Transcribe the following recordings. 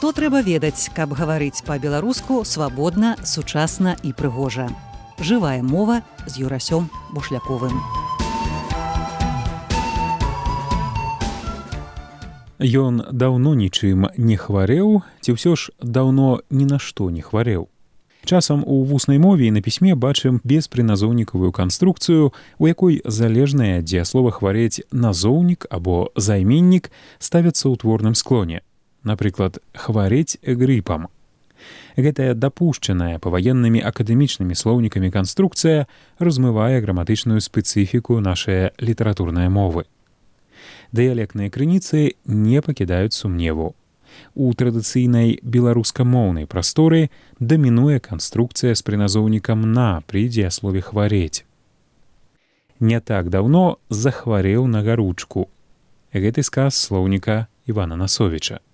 Што трэба ведаць, каб гаварыць па-беларуску свабодна, сучасна і прыгожа. Жывая мова з Юрасём Бушляковым. Ён даўно нічым не хварэў, ці ўсё ж даўно ні на што не хварэў. Часам у вуснай мове і на пісьме бачым беспрыназоўнікавую канструкцыю, у якой залежнае дзеяслова хварэць назоўнік або займеннік ставяцца ў творным склоне. Напрыклад, хварэць грыпам. Гэтая дапушчаная паваеннымі акадэмічнымі слоўнікамі канструкцыя размывае граматычную спецыфіку нашай літаратурнай мовы. Дыялектныя крыніцы не пакідаюць сумневу. У традыцыйнай беларускамоўнай прасторы дамінуе канструкцыя з прыназоўнікам «на» пры дзеяслове «хварэць». Не так даўно захварэў на гаручку. Гэты сказ слоўніка Івана Насовіча.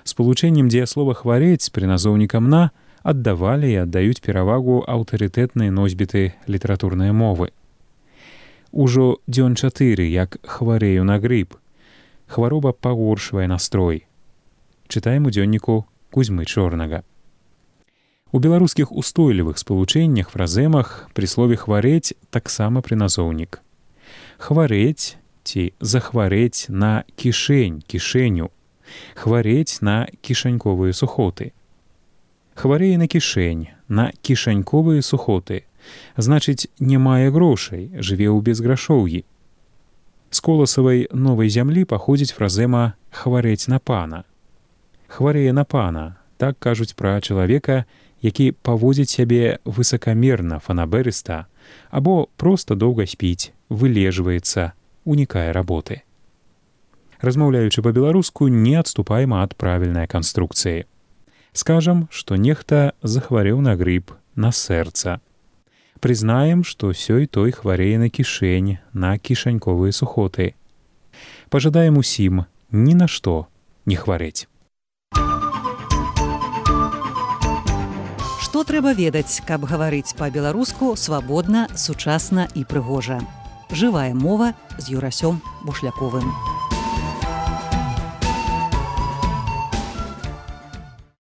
Спалучэннем дзеяслова «хварэць» з прыназоўнікам «на» аддавалі і аддаюць перавагу аўтарытэтныя носьбіты літаратурнай мовы. Ужо дзён 4, як хварэю на грып. Хвароба пагоршвае настрой. Чытаем у дзённіку Кузьмы Чорнага. У беларускіх устойлівых спалучэннях, фраземах пры слове «хварэць» таксама прыназоўнік. Хварэць ці захварэць на кішэнь, кішэню. Хварэць на кішаньковыя сухоты. Хварэе на кішэнь, на кішаньковыя сухоты. Значыць, не мае грошай, жыве ў безграшоўі. З коласавай новай зямлі паходзіць фразема «хварэць на пана». Хварэе на пана, так кажуць пра чалавека, які паводзіць сябе высакамерна, фанаберыста, або проста доўга спіць, вылежваецца, унікае работы. Размаўляючы па-беларуску, не адступаем ад правільнай канструкцыі. Скажам, што нехта захварэў на грып, на сэрца. Прызнаем, што сёй той хварэе на кішэнь, на кішаньковыя сухоты. Пажадаем усім ні на што не хварэць. Што трэба ведаць, каб гаварыць па-беларуску свабодна, сучасна і прыгожа. Жывая мова з Юрасём Бушляковым.